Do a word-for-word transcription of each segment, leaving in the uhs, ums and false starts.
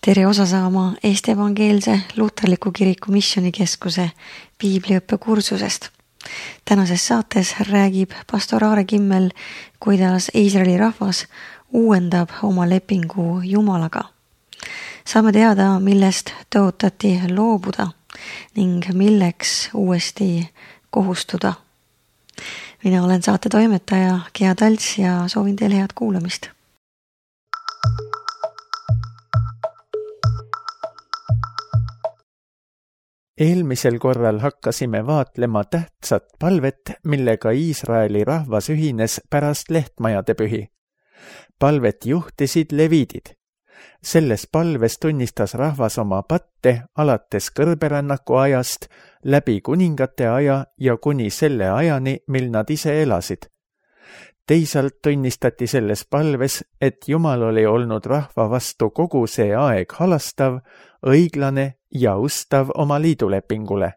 tere osa saama Eesti Evangeelse Luterliku Kiriku Missioonikeskuse piibliõppe kursusest. Tänases saates räägib pastor Aare Kimmel, kuidas Iisraeli rahvas uuendab oma lepingu Jumalaga. Saame teada, millest tõotati loobuda ning milleks uuesti kohustuda. Mina olen saate toimetaja Gea Talts ja soovin teile head kuulamist. Eelmisel korral hakkasime vaatlema tähtsat palvet, millega Iisraeli rahvas ühines pärast lehtmajade pühi. Palvet juhtisid leviidid. Selles palves tunnistas rahvas oma patte alates kõrberännaku ajast, läbi kuningate aja ja kuni selle ajani, mil nad ise elasid. Teisalt tunnistati selles palves, et Jumal oli olnud rahva vastu kogu see aeg halastav, õiglane ja ustav oma liidulepingule.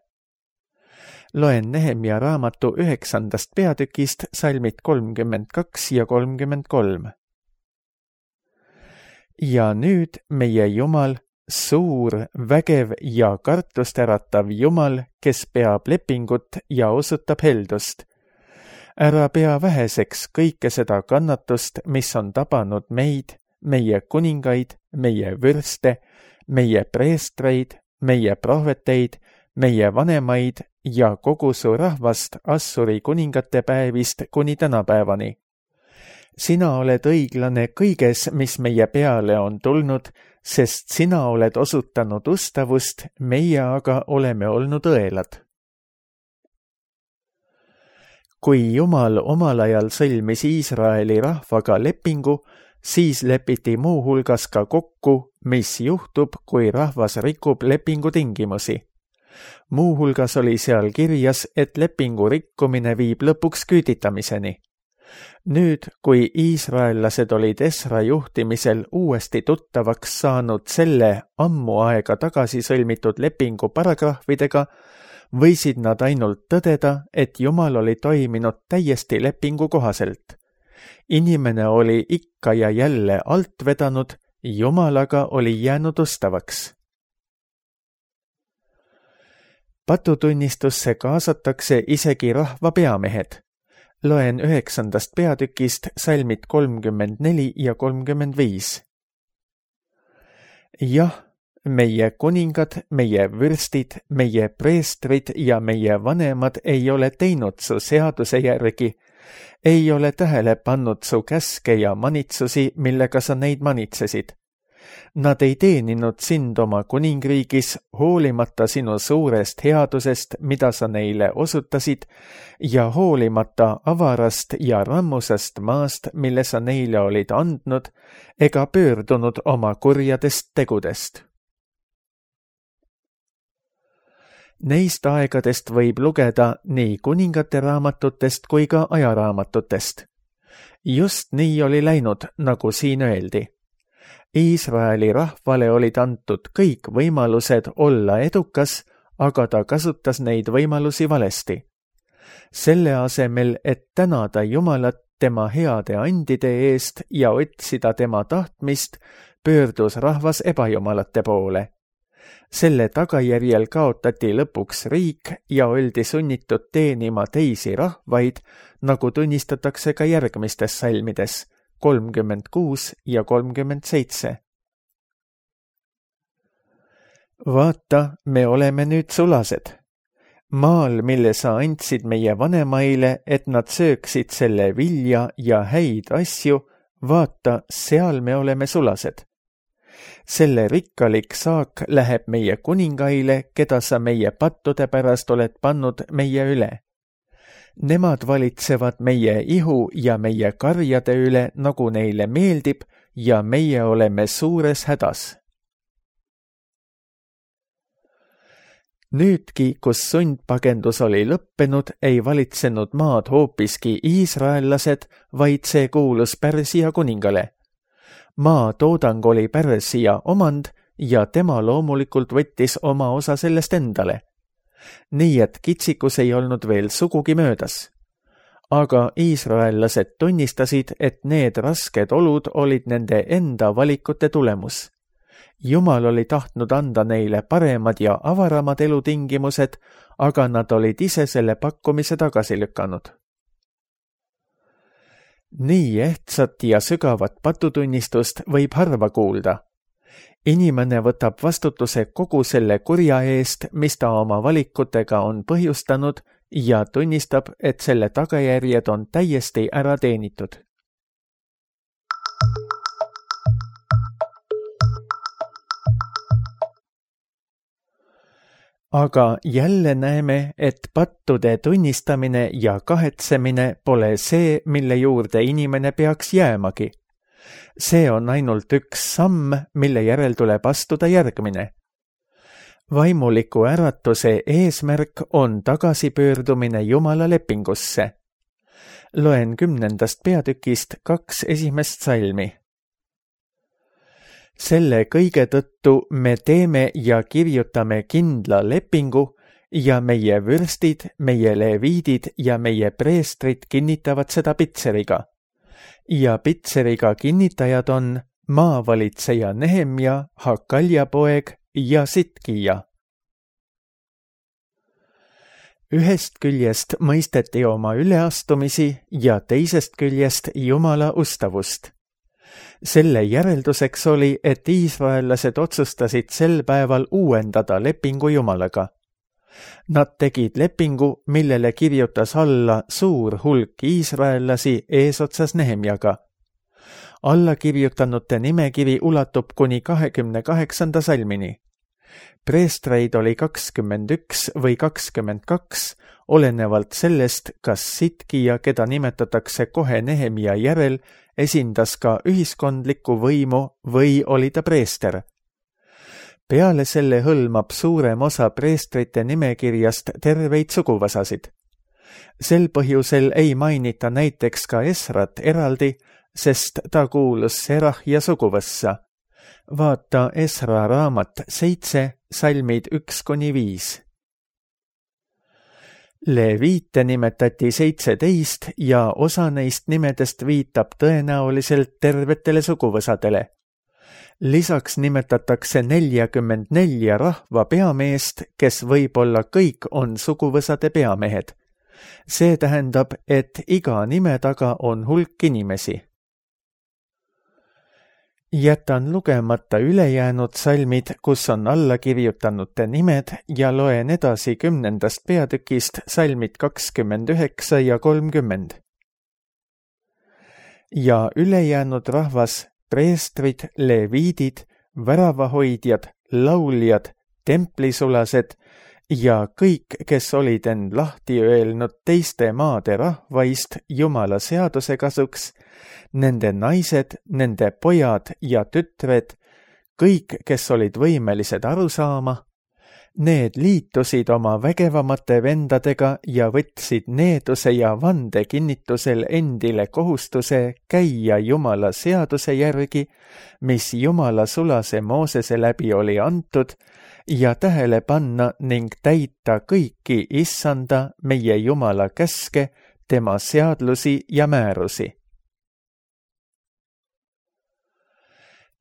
Loen Nehemia raamatu üheksandast peatükist salmid kolmkümmend kaks ja kolmkümmend kolm. Ja nüüd meie Jumal, suur, vägev ja kartustäratav Jumal, kes peab lepingut ja osutab heldust. Ära pea väheseks kõike seda kannatust, mis on tabanud meid, meie kuningaid, meie vürste, meie preestreid, meie prohveteid, meie vanemaid ja kogu su rahvast Assuri kuningate päevist kuni tänapäevani. Sina oled õiglane kõiges, mis meie peale on tulnud, sest sina oled osutanud ustavust, meie aga oleme olnud õelad. Kui Jumal omal ajal sõlmis Iisraeli rahvaga lepingu, siis lepiti muu hulgas ka kokku, mis juhtub, kui rahvas rikub lepingu tingimusi. Muu hulgas oli seal kirjas, et lepingu rikkumine viib lõpuks küüditamiseni. Nüüd, kui iisraellased olid Esra juhtimisel uuesti tuttavaks saanud selle ammu aega tagasi sõlmitud lepingu paragrahvidega, võisid nad ainult tõdeda, et Jumal oli toiminud täiesti lepingu kohaselt. Inimene oli ikka ja jälle alt vedanud, Jumalaga oli jäänud ustavaks. Patutunnistusse kaasatakse isegi rahva peamehed. Loen üheksandast peatükist salmid kolmkümmend neli ja kolmkümmend viis. Jah, meie kuningad, meie vürstid, meie preestrid ja meie vanemad ei ole teinud su seaduse järgi, ei ole tähele pannud su käske ja manitsusi, millega sa neid manitsesid. Nad ei teeninud sind oma kuningriigis, hoolimata sinu suurest headusest, mida sa neile osutasid, ja hoolimata avarast ja rammusast maast, mille sa neile olid andnud, ega pöördunud oma kurjadest tegudest. Neist aegadest võib lugeda nii kuningate raamatutest kui ka ajaraamatutest. Just nii oli läinud, nagu siin öeldi. Iisraeli rahvale olid antud kõik võimalused olla edukas, aga ta kasutas neid võimalusi valesti. Selle asemel, et tänada Jumalat tema heade andide eest ja otsida tema tahtmist, pöördus rahvas ebajumalate poole. Selle tagajärjel kaotati lõpuks riik ja oldi sunnitud teenima teisi rahvaid, nagu tunnistatakse ka järgmistes salmides, kolmkümmend kuus ja kolmkümmend seitse. Vaata, me oleme nüüd sulased. Maal, mille sa andsid meie vanemaile, et nad sööksid selle vilja ja häid asju, vaata, seal me oleme sulased. Selle rikkalik saak läheb meie kuningaile, keda sa meie pattude pärast oled pannud meie üle. Nemad valitsevad meie ihu ja meie karjade üle, nagu neile meeldib, ja meie oleme suures hädas. Nüüdki, kus sundpagendus oli lõppenud, ei valitsenud maad hoopiski iisraellased, vaid see kuulus Pärsia kuningale. Maa toodang oli Pärsia omand ja tema loomulikult võttis oma osa sellest endale. Nii et kitsikus ei olnud veel sugugi möödas. Aga iisraellased tunnistasid, et need rasked olud olid nende enda valikute tulemus. Jumal oli tahtnud anda neile paremad ja avaramad elutingimused, aga nad olid ise selle pakkumise tagasi lükanud. Nii ehtsat ja sügavat patutunnistust võib harva kuulda. Inimene võtab vastutuse kogu selle kurja eest, mis ta oma valikutega on põhjustanud ja tunnistab, et selle tagajärjed on täiesti ära teenitud. Aga jälle näeme, et pattude tunnistamine ja kahetsemine pole see, mille juurde inimene peaks jäämagi. See on ainult üks samm, mille järel tuleb astuda järgmine. Vaimuliku äratuse eesmärk on tagasipöördumine Jumala lepingusse. Loen kümnendast peatükist kaks esimest salmi. Selle kõige tõttu me teeme ja kirjutame kindla lepingu ja meie vürstid, meie leviidid ja meie preestrid kinnitavad seda pitseriga. Ja pitseriga kinnitajad on maavalitseja Nehemja, Hakalja poeg ja Sitkija. Ühest küljest mõisteti oma üleastumisi ja teisest küljest Jumala ustavust. Selle järelduseks oli, et iisraellased otsustasid sel päeval uuendada lepingu Jumalaga. Nad tegid lepingu, millele kirjutas alla suur hulk iisraellasi eesotsas Nehemjaga. Allakirjutanute nimekiri ulatub kuni kahekümne kaheksanda salmini. Preestreid oli kakskümmend üks või kakskümmend kaks, olenevalt sellest, kas Sitkija, keda nimetatakse kohe Nehemja järel, esindas ka ühiskondlikku võimu või oli ta preester. Peale selle hõlmab suurem osa preestrite nimekirjast terveid suguvõsasid. Sel põhjusel ei mainita näiteks ka Esrat eraldi, sest ta kuulus Serahja suguvõssa. Vaata Esra raamat seitse, salmid üks kuni viis. Leviite nimetati seitseteist ja osa neist nimedest viitab tõenäoliselt tervetele suguvõsadele. Lisaks nimetatakse neljakümmend nelja rahva peameest, kes võib-olla kõik on suguvõsade peamehed. See tähendab, et iga nime taga on hulk inimesi. Jätan lugemata ülejäänud salmid, kus on alla kirjutanute nimed ja loen edasi kümnendast peatükist salmid kakskümmend üheksa ja kolmkümmend. Ja ülejäänud rahvas, preestrid, leviidid, väravahoidjad, lauljad, templisulased ja kõik, kes olid end lahti öelnud teiste maade rahvaist Jumala seaduse kasuks, nende naised, nende pojad ja tütred, kõik, kes olid võimelised aru saama, need liitusid oma vägevamate vendadega ja võtsid needuse ja vande kinnitusel endile kohustuse käia Jumala seaduse järgi, mis Jumala sulase Moosese läbi oli antud, ja tähele panna ning täita kõiki issanda meie Jumala käske, tema seadlusi ja määrusi.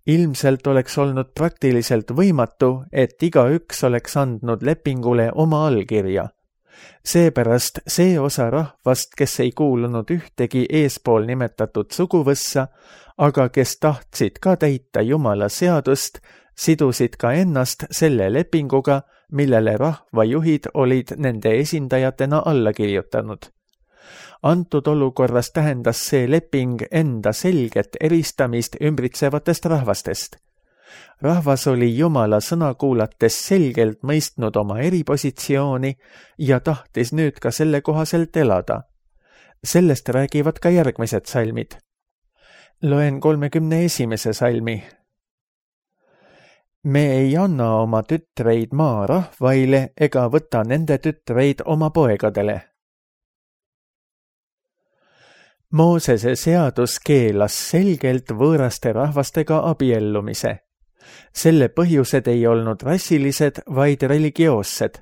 Ilmselt oleks olnud praktiliselt võimatu, et igaüks oleks andnud lepingule oma allkirja. Seepärast see osa rahvast, kes ei kuulunud ühtegi eespool nimetatud suguvõssa, aga kes tahtsid ka täita Jumala seadust, sidusid ka ennast selle lepinguga, millele rahvajuhid olid nende esindajatena alla kirjutanud. Antud olukorras tähendas see leping enda selget eristamist ümbritsevatest rahvastest. Rahvas oli Jumala sõna kuulates selgelt mõistnud oma eripositsiooni ja tahtis nüüd ka selle kohaselt elada. Sellest räägivad ka järgmised salmid. Loen kolmekümne esimese salmi. Me ei anna oma tütreid maa rahvaile ega võta nende tütreid oma poegadele. Moosese seadus keelas selgelt võõraste rahvastega abiellumise. Selle põhjused ei olnud rassilised, vaid religioossed.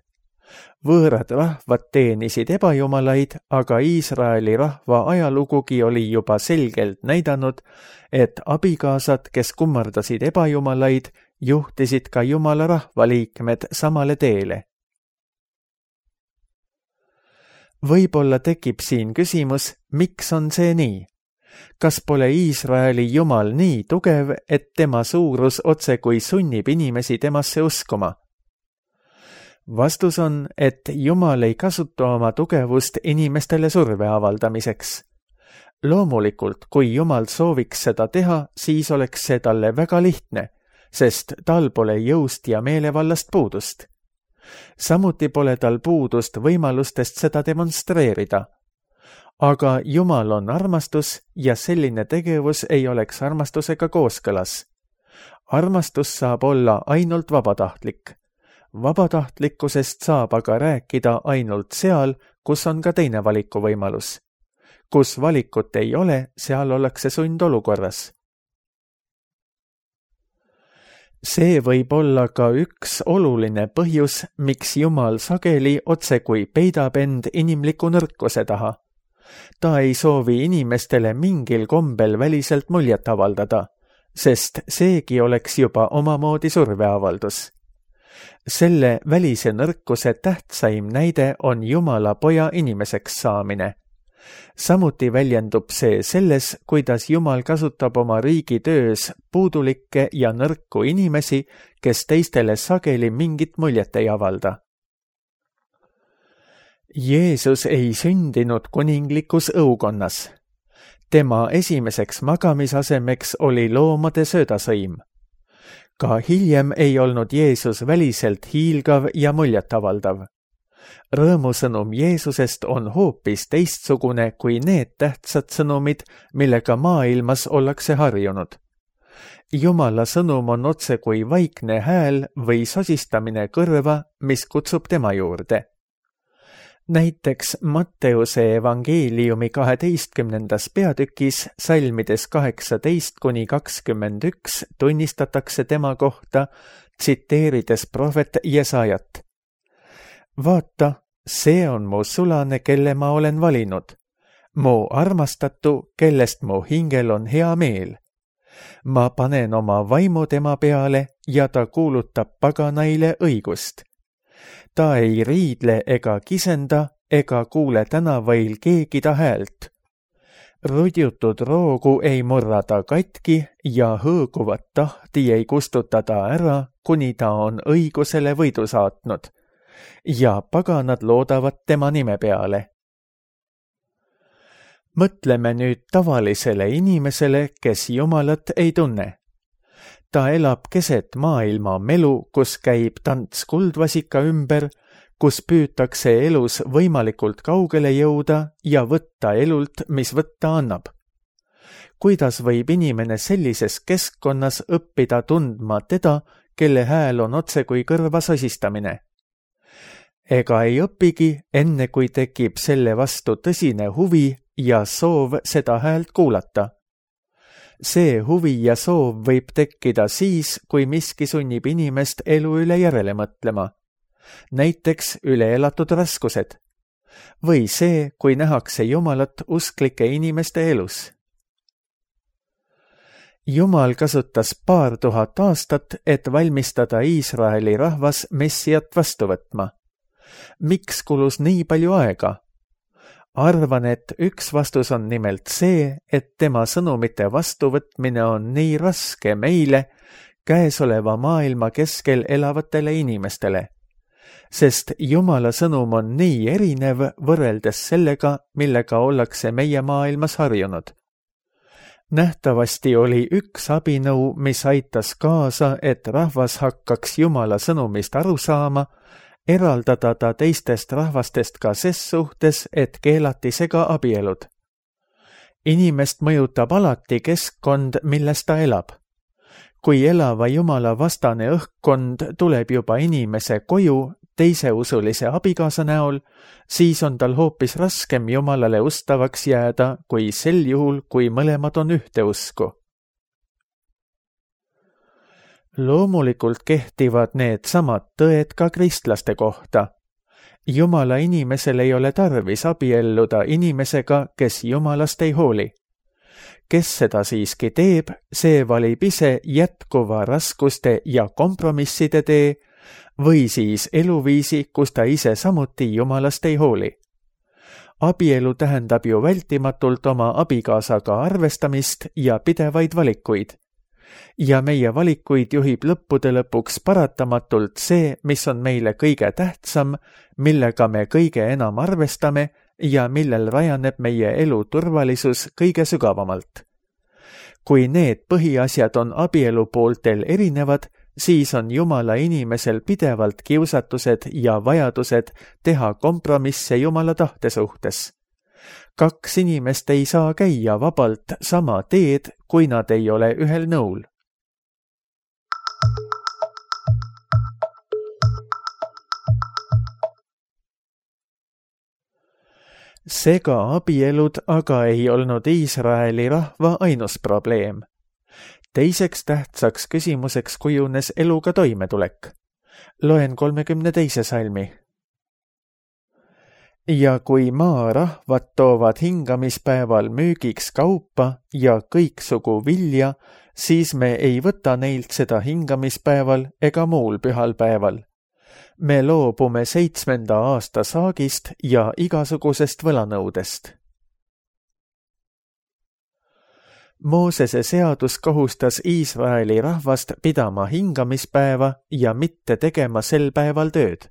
Võõrad rahvad teenisid ebajumalaid, aga Iisraeli rahva ajalugugi oli juba selgelt näidanud, et abikaasad, kes kummardasid ebajumalaid, juhtisid ka Jumala rahvaliikmed samale teele. Võib-olla tekib siin küsimus, miks on see nii? Kas pole Iisraeli Jumal nii tugev, et tema suurus otse kui sunnib inimesi temasse uskuma? Vastus on, et Jumal ei kasuta oma tugevust inimestele surve avaldamiseks. Loomulikult, kui Jumal sooviks seda teha, siis oleks see talle väga lihtne, sest tal pole jõust ja meelevallast puudust. Samuti pole tal puudust võimalustest seda demonstreerida. Aga Jumal on armastus ja selline tegevus ei oleks armastusega kooskõlas. Armastus saab olla ainult vabatahtlik. Vabatahtlikkusest saab aga rääkida ainult seal, kus on ka teine valikuvõimalus. Kus valikut ei ole, seal ollakse sundolukorras. See võib olla ka üks oluline põhjus, miks Jumal sageli otsekui peidab end inimliku nõrkuse taha. Ta ei soovi inimestele mingil kombel väliselt muljet avaldada, sest seegi oleks juba omamoodi surveavaldus. Selle välise nõrkuse tähtsaim näide on Jumala poja inimeseks saamine. Samuti väljendub see selles, kuidas Jumal kasutab oma riigi töös puudulikke ja nõrku inimesi, kes teistele sageli mingit muljet ei avalda. Jeesus ei sündinud kuninglikus õukonnas. Tema esimeseks magamisasemeks oli loomade söödasõim. Ka hiljem ei olnud Jeesus väliselt hiilgav ja muljetavaldav. Rõõmusõnum Jeesusest on hoopis teistsugune kui need tähtsad sõnumid, millega maailmas ollakse harjunud. Jumala sõnum on otse kui vaikne hääl või sosistamine kõrva, mis kutsub tema juurde. Näiteks Matteuse evangeeliumi kaheteistkümnendas peatükis salmides kaheksateist kuni kakskümmend üks tunnistatakse tema kohta, tsiteerides prohvet Jesajat. Vaata, see on mu sulane, kelle ma olen valinud. Mu armastatu, kellest mu hingel on hea meel. Ma panen oma vaimu tema peale ja ta kuulutab paganaile õigust. Ta ei riidle ega kisenda ega kuule tänavail keegi ta häält. Rudjutud roogu ei murra ta katki ja hõõguvat tahti ei kustuta ta ära, kuni ta on õigusele võidu saatnud. Ja paganad loodavad tema nime peale. Mõtleme nüüd tavalisele inimesele, kes Jumalat ei tunne. Ta elab keset maailma melu, kus käib tants kuldvasika ümber, kus püütakse elus võimalikult kaugele jõuda ja võtta elult, mis võtta annab. Kuidas võib inimene sellises keskkonnas õppida tundma teda, kelle hääl on otse kui kõrva sosistamine? Ega ei õpigi, enne kui tekib selle vastu tõsine huvi ja soov seda häält kuulata. See huvi ja soov võib tekkida siis, kui miski sunnib inimest elu üle järele mõtlema. Näiteks üle elatud raskused. Või see, kui nähakse Jumalat usklike inimeste elus. Jumal kasutas paar tuhat aastat, et valmistada Iisraeli rahvas Messiat vastu võtma. Miks kulus nii palju aega? Arvan, et üks vastus on nimelt see, et tema sõnumite vastuvõtmine on nii raske meile, käesoleva maailma keskel elavatele inimestele, sest Jumala sõnum on nii erinev võrreldes sellega, millega ollakse meie maailmas harjunud. Nähtavasti oli üks abinõu, mis aitas kaasa, et rahvas hakkaks Jumala sõnumist aru saama, eraldada ta teistest rahvastest ka ses suhtes, et keelati sega abielud. Inimest mõjutab alati keskkond, milles ta elab. Kui elava Jumala vastane õhkkond tuleb juba inimese koju teiseusulise abikaasa näol, siis on tal hoopis raskem Jumalale ustavaks jääda, kui sel juhul, kui mõlemad on ühte usku. Loomulikult kehtivad need samad tõed ka kristlaste kohta. Jumala inimesel ei ole tarvis abielluda inimesega, kes Jumalast ei hooli. kes seda siiski teeb, see valib ise jätkuva raskuste ja kompromisside tee või siis eluviisi, kus ta ise samuti Jumalast ei hooli. Abielu tähendab ju vältimatult oma abikaasaga arvestamist ja pidevaid valikuid. Ja meie valikuid juhib lõppude lõpuks paratamatult see, mis on meile kõige tähtsam, millega me kõige enam arvestame ja millel rajaneb meie elu turvalisus kõige sügavamalt. Kui need põhiasjad on abielu pooltel erinevad, siis on Jumala inimesel pidevalt kiusatused ja vajadused teha kompromisse Jumala tahte suhtes. Kaks inimest ei saa käia vabalt sama teed, kui nad ei ole ühel nõul. Sega abielud aga ei olnud Iisraeli rahva ainus probleem. Teiseks tähtsaks küsimuseks kujunes eluga toimetulek. Loen kolmekümne teise salmi. Ja kui maarahvad toovad hingamispäeval müügiks kaupa ja kõiksugu vilja, siis me ei võta neilt seda hingamispäeval ega muul pühal päeval. Me loobume seitsmenda aasta saagist ja igasugusest võlanõudest. Moosese seadus kohustas Iisraeli rahvast pidama hingamispäeva ja mitte tegema sel päeval tööd.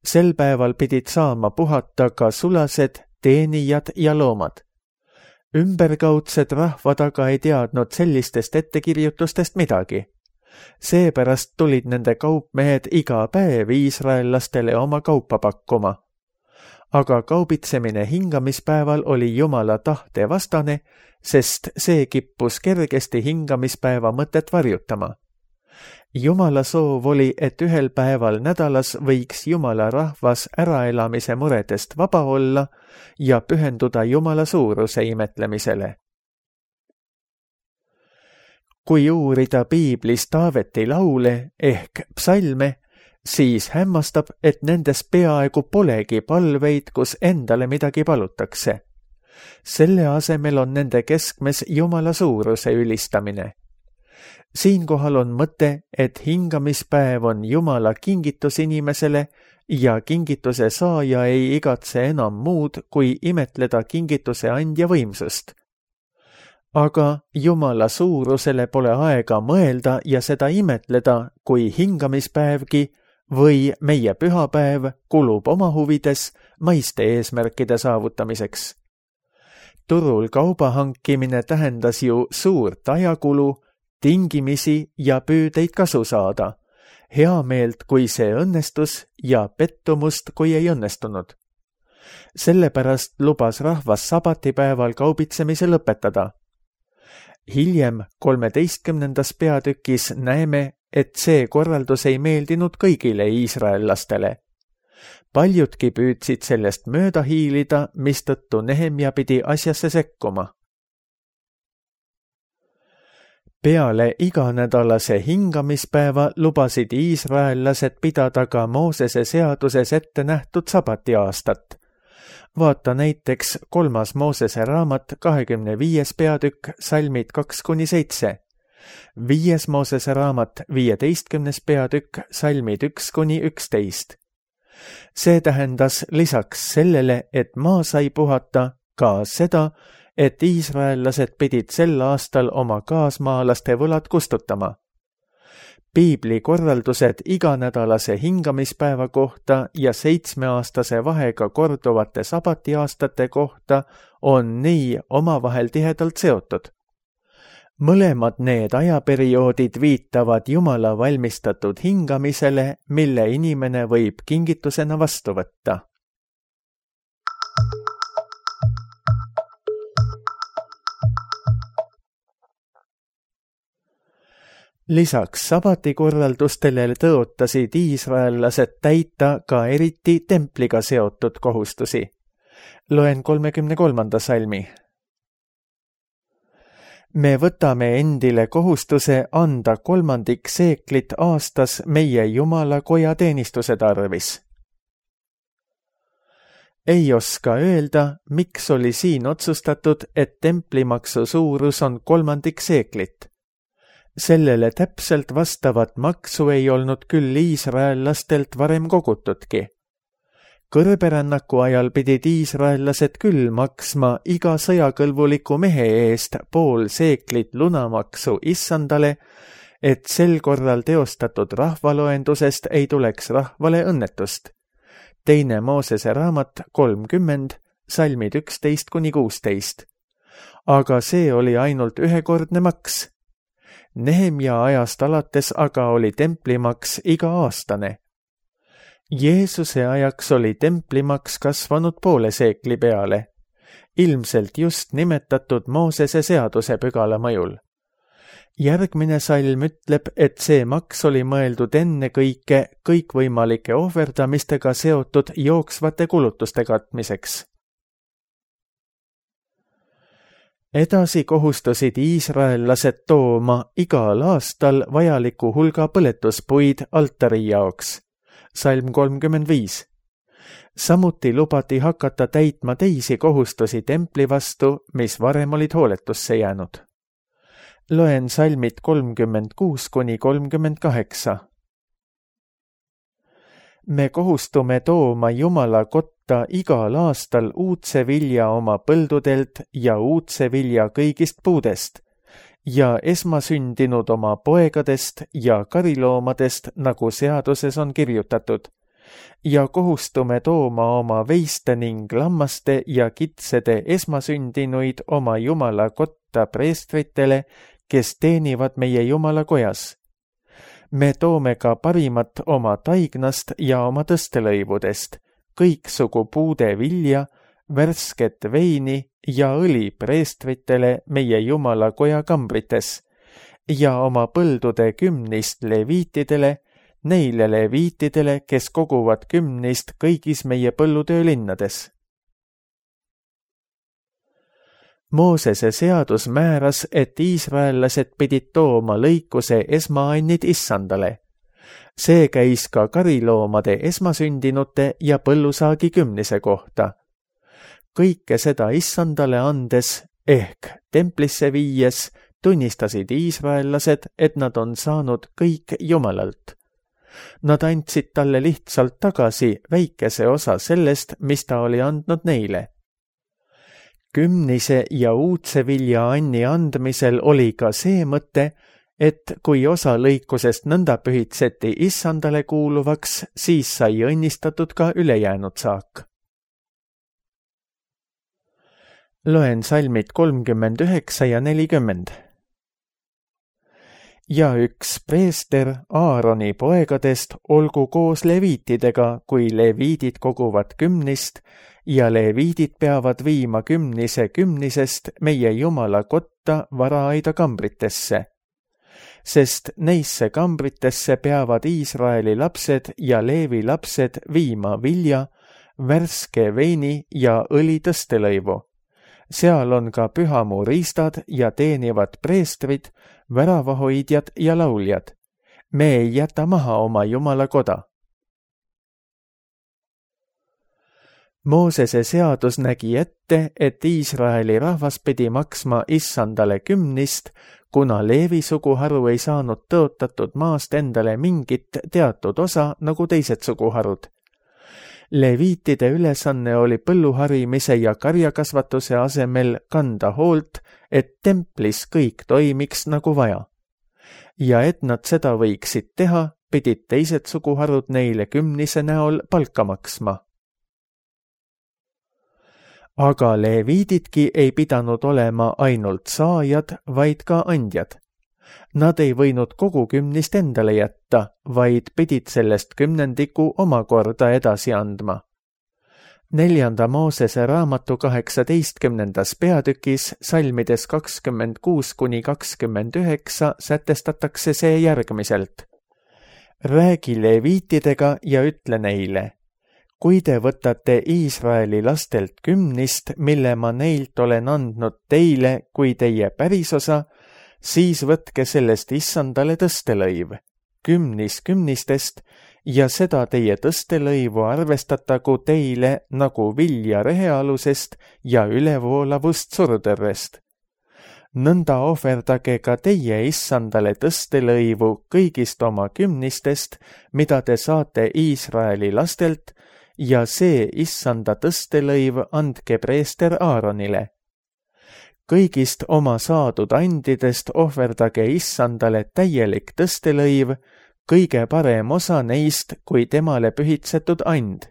Sel päeval pidid saama puhata ka sulased, teenijad ja loomad. Ümberkaudsed rahvad aga ei teadnud sellistest ettekirjutustest midagi. Seepärast tulid nende kaupmehed iga päev iisraellastele oma kaupa pakkuma. Aga kaubitsemine hingamispäeval oli Jumala tahte vastane, sest see kippus kergesti hingamispäeva mõtet varjutama. Jumala soov oli, et ühel päeval nädalas võiks Jumala rahvas äraelamise muredest vaba olla ja pühenduda Jumala suuruse imetlemisele. Kui uurida piiblis Taaveti laule ehk psalme, siis hämmastab, et nendes peaaegu polegi palveid, kus endale midagi palutakse. Selle asemel on nende keskmes Jumala suuruse ülistamine. Siinkohal on mõte, et hingamispäev on Jumala kingitus inimesele ja kingituse saaja ei igatse enam muud, kui imetleda kingituse andja võimsust. Aga Jumala suurusele pole aega mõelda ja seda imetleda, kui hingamispäevgi või meie pühapäev kulub oma huvides maiste eesmärkide saavutamiseks. Turul kauba hankimine tähendas ju suurt ajakulu, tingimisi ja püüdeid kasu saada, heameelt, kui see õnnestus ja pettumust, kui ei õnnestunud. Sellepärast lubas rahvas sabatipäeval kaubitsemise lõpetada. Hiljem kolmeteistkümnendas peatükis näeme, et see korraldus ei meeldinud kõigile iisraellastele. Paljudki püüdsid sellest mööda hiilida, mistõttu Nehemja pidi asjasse sekkuma. Peale iganädalase hingamispäeva lubasid iisraellased pidada ka Moosese seaduses ette nähtud sabatiaastat. Vaata näiteks kolmas Moosese raamat kahekümne viies peatükk, salmid kaks kuni seitse. Viies Moosese raamat viieteistkümnes peatükk, salmid üks kuni üksteist. See tähendas lisaks sellele, et maa sai puhata, ka seda, et iisraellased pidid sel aastal oma kaasmaalaste võlad kustutama. Piibli korraldused iganädalase hingamispäeva kohta ja seitsmeaastase vahega korduvate sabatiaastate kohta on nii omavahel tihedalt seotud. Mõlemad need ajaperioodid viitavad Jumala valmistatud hingamisele, mille inimene võib kingitusena vastu võtta. Lisaks sabatikorraldustele tõotasid iisraellased täita ka eriti templiga seotud kohustusi. Loen kolmekümne kolmanda salmi. Me võtame endile kohustuse anda kolmandik seeklit aastas meie Jumala koja teenistuse tarvis. ei oska öelda, miks oli siin otsustatud, et templimaksu suurus on kolmandik seeklit. Sellele täpselt vastavat maksu ei olnud küll iisraellastelt varem kogutudki. Kõrberännaku ajal pidid iisraellased küll maksma iga sõjakõlbuliku mehe eest pool seeklit lunamaksu issandale, et sel korral teostatud rahvaloendusest ei tuleks rahvale õnnetust. Teine Moosese raamat kolmkümmend, salmid üksteist kuni kuusteist. Aga see oli ainult ühekordne maks. Nehemia ajast alates aga oli templimaks iga-aastane. Jeesuse ajaks oli templimaks kasvanud poole seekli peale, ilmselt just nimetatud Moosese seaduse pügala mõjul. Järgmine salm ütleb, et see maks oli mõeldud enne kõike kõikvõimalike ohverdamistega seotud jooksvate kulutuste katmiseks. Edasi kohustusid iisraellased tooma igal aastal vajaliku hulga põletuspuid altari jaoks. Salm kolmkümmend viis. Samuti lubati hakata täitma teisi kohustusi templi vastu, mis varem olid hooletusse jäänud. Loen salmid kolmkümmend kuus kuni kolmkümmend kaheksa. Me kohustume tooma Jumala kotta igal aastal uudse vilja oma põldudelt ja uudse vilja kõigist puudest ja esmasündinud oma poegadest ja kariloomadest, nagu seaduses on kirjutatud, ja kohustume tooma oma veiste ning lammaste ja kitsede esmasündinuid oma Jumala kotta preestritele, kes teenivad meie Jumala kojas. Me toome ka parimat oma taignast ja oma tõstelõivudest, kõiksugu puude vilja, värsket veini ja õli preestritele meie Jumala koja kambrites ja oma põldude kümnist leviitidele, neile leviitidele, kes koguvad kümnist kõigis meie põllutöölinnades. Moosese seadus määras, et iisraellased pidid tooma lõikuse esmaannid issandale. See käis ka kariloomade esmasündinute ja põllusaagi kümnise kohta. Kõike seda issandale andes ehk templisse viies tunnistasid iisraellased, et nad on saanud kõik Jumalalt. Nad andsid talle lihtsalt tagasi väikese osa sellest, mis ta oli andnud neile. Kümnise ja uudse vilja anni andmisel oli ka see mõte, et kui osa lõikusest nõnda pühitseti issandale kuuluvaks, siis sai õnnistatud ka ülejäänud saak. Loen salmid kolmkümmend üheksa ja nelikümmend. Ja üks preester Aaroni poegadest olgu koos leviitidega, kui leviidid koguvad kümnist, ja leviidid peavad viima kümnise kümnisest meie Jumala kotta varaaida kambritesse. Sest neisse kambritesse peavad Iisraeli lapsed ja Leevi lapsed viima vilja, värske veini ja õli tõstelõivu. Seal on ka pühamuu riistad ja teenivad preestrid, väravahoidjad ja lauljad. Me ei jäta maha oma Jumala koda. Moosese seadus nägi ette, et Iisraeli rahvas pidi maksma issandale kümnist, kuna Leevi suguharu ei saanud tõotatud maast endale mingit teatud osa nagu teised suguharud. Leviitide ülesanne oli põlluharimise ja karjakasvatuse asemel kanda hoolt, et templis kõik toimiks nagu vaja. Ja et nad seda võiksid teha, pidid teised suguharud neile kümnise näol palka maksma. Aga leviididki ei pidanud olema ainult saajad, vaid ka andjad. Nad ei võinud kogu kümnist endale jätta, vaid pidid sellest kümnendiku omakorda edasi andma. Neljanda Moosese raamatu kaheksateistkümnendas peatükis salmides kakskümmend kuus kuni kakskümmend üheksa sätestatakse see järgmiselt. Räägi leviitidega ja ütle neile. Kui te võtate Iisraeli lastelt kümnist, mille ma neilt olen andnud teile kui teie pärisosa, siis võtke sellest issandale tõstelõiv, kümnis kümnistest, ja seda teie tõstelõivu arvestatagu teile nagu vilja rehealusest ja ülevoolavust surutõrvest. Nõnda ohverdage ka teie issandale tõstelõivu kõigist oma kümnistest, mida te saate Iisraeli lastelt, ja see issanda tõstelõiv andke preester Aaronile. Kõigist oma saadud andidest ohverdage issandale täielik tõstelõiv, kõige parem osa neist kui temale pühitsetud and.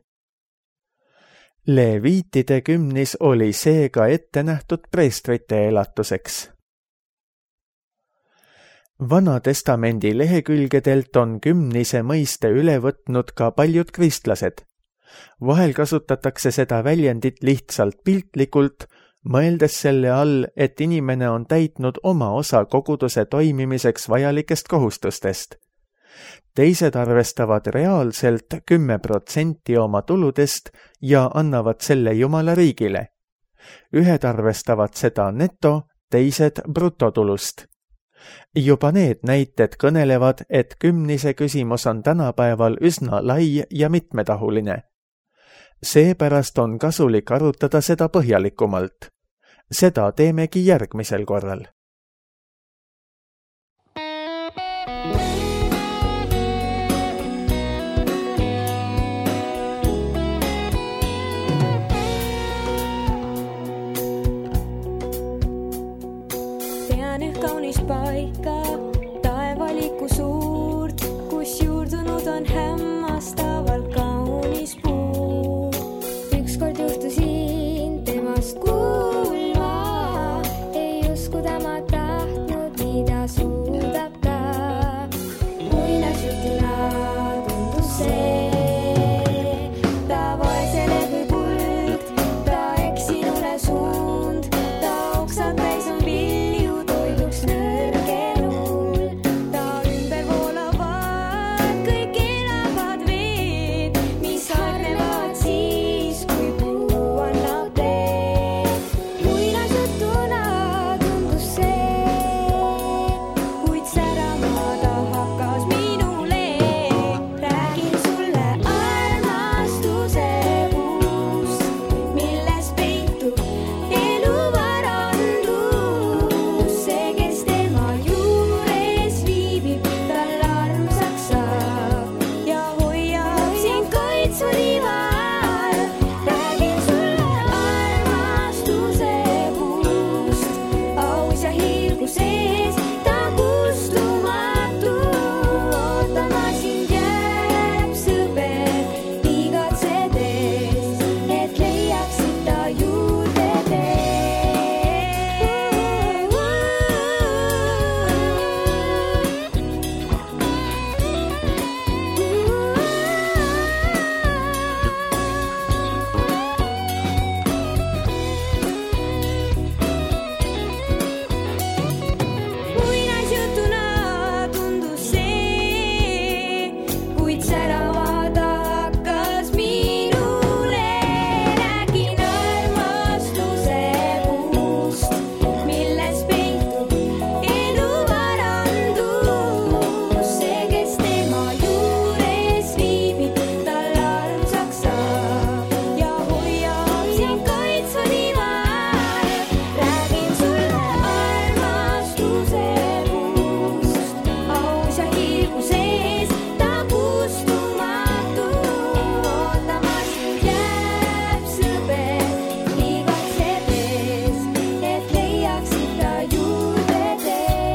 Leviitide kümnis oli seega ette nähtud preestrite elatuseks. Vana testamendi lehekülgedelt on kümnise mõiste üle võtnud ka paljud kristlased. Vahel kasutatakse seda väljendit lihtsalt piltlikult, mõeldes selle all, et inimene on täitnud oma osa koguduse toimimiseks vajalikest kohustustest. Teised arvestavad reaalselt kümme protsenti oma tuludest ja annavad selle Jumala riigile. Ühed arvestavad seda neto, teised brutotulust. Juba need näited kõnelevad, et kümnise küsimus on tänapäeval üsna lai ja mitmetahuline. Seepärast on kasulik arutada seda põhjalikumalt. Seda teemegi järgmisel korral. Paika taevaliku suurt, kus juurdunud on hämmastavalt kaunis puu. Ükskord juhtusin temast kuulma, ei uskuda ma tahtnud, mida suudab ta. Muinasjutuna tundus see, ta vaesele kui kuld, ta eksinule suund, ta oksad täis on vilju toiduks nörgenul, ta ümber voolavad kõik elavad veed, mis harnevad siis, kui puu annab teed. Muinasjutuna tundus see, kuid särama ta hakkas minule. Räägin sulle armastuse puust, milles peitub elu varandus. See, kes tema juures viibib, tal armsaks saab ja hoiab sind kaitsva rival. Räägin sulle armastuse puust, aus ja hiilgu sees, ta kustumatu. Ootama sind jääb sõber, igatsedes, et leiaksid ta juurde Muinasjutuna tundus see, kuid särama ta hakkas minule. Räägin armastuse puust, milles peitub elu varandus. See, kes tema juures viibib, tal armsaks saab ja hoiab sind kaitsva rival. Räägin sulle armastuse puust, aus ja hiilgu sees, ta kustumatu. Ootama sind jääb sõber, igatsedes, et leiaksid ta juurde teed.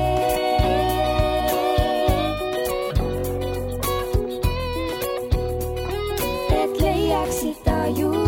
Et leiaksid ta juurde